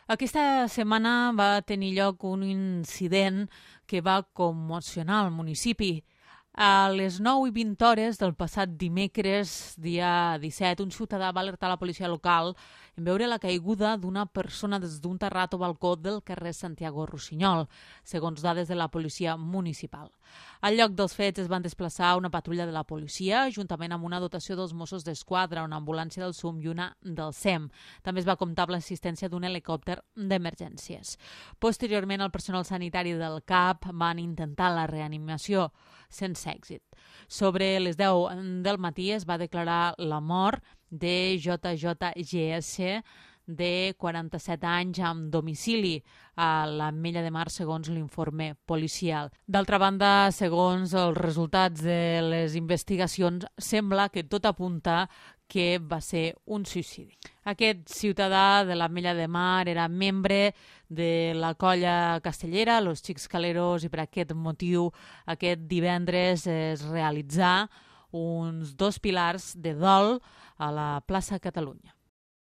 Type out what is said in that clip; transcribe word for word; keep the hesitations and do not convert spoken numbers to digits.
Aquesta setmana va tenir lloc un incident que va commocionar el municipi. A les nou i vint hores del passat dimecres, dia disset, un ciutadà va alertar la policia local en veure la caiguda d'una persona des d'un terrat o balcó del carrer Santiago Rossinyol, segons dades de la policia municipal. Al lloc dels fets es van desplaçar una patrulla de la policia, juntament amb una dotació dels Mossos d'Esquadra, una ambulància del S U M i una del S E M. També es va comptar amb l'assistència d'un helicòpter d'emergències. Posteriorment, el personal sanitari del C A P van intentar la reanimació, sense èxit. Sobre les deu del matí es va declarar la mort de J J G S, de quaranta-set anys, amb domicili a l'Ametlla de Mar, segons l'informe policial. D'altra banda, segons els resultats de les investigacions, sembla que tot apunta que va ser un suïcidi. Aquest ciutadà de l'Ametlla de Mar era membre de la colla castellera, Los Xics Caleros, i per aquest motiu aquest divendres es realitzà uns dos pilars de dol a la plaça Catalunya.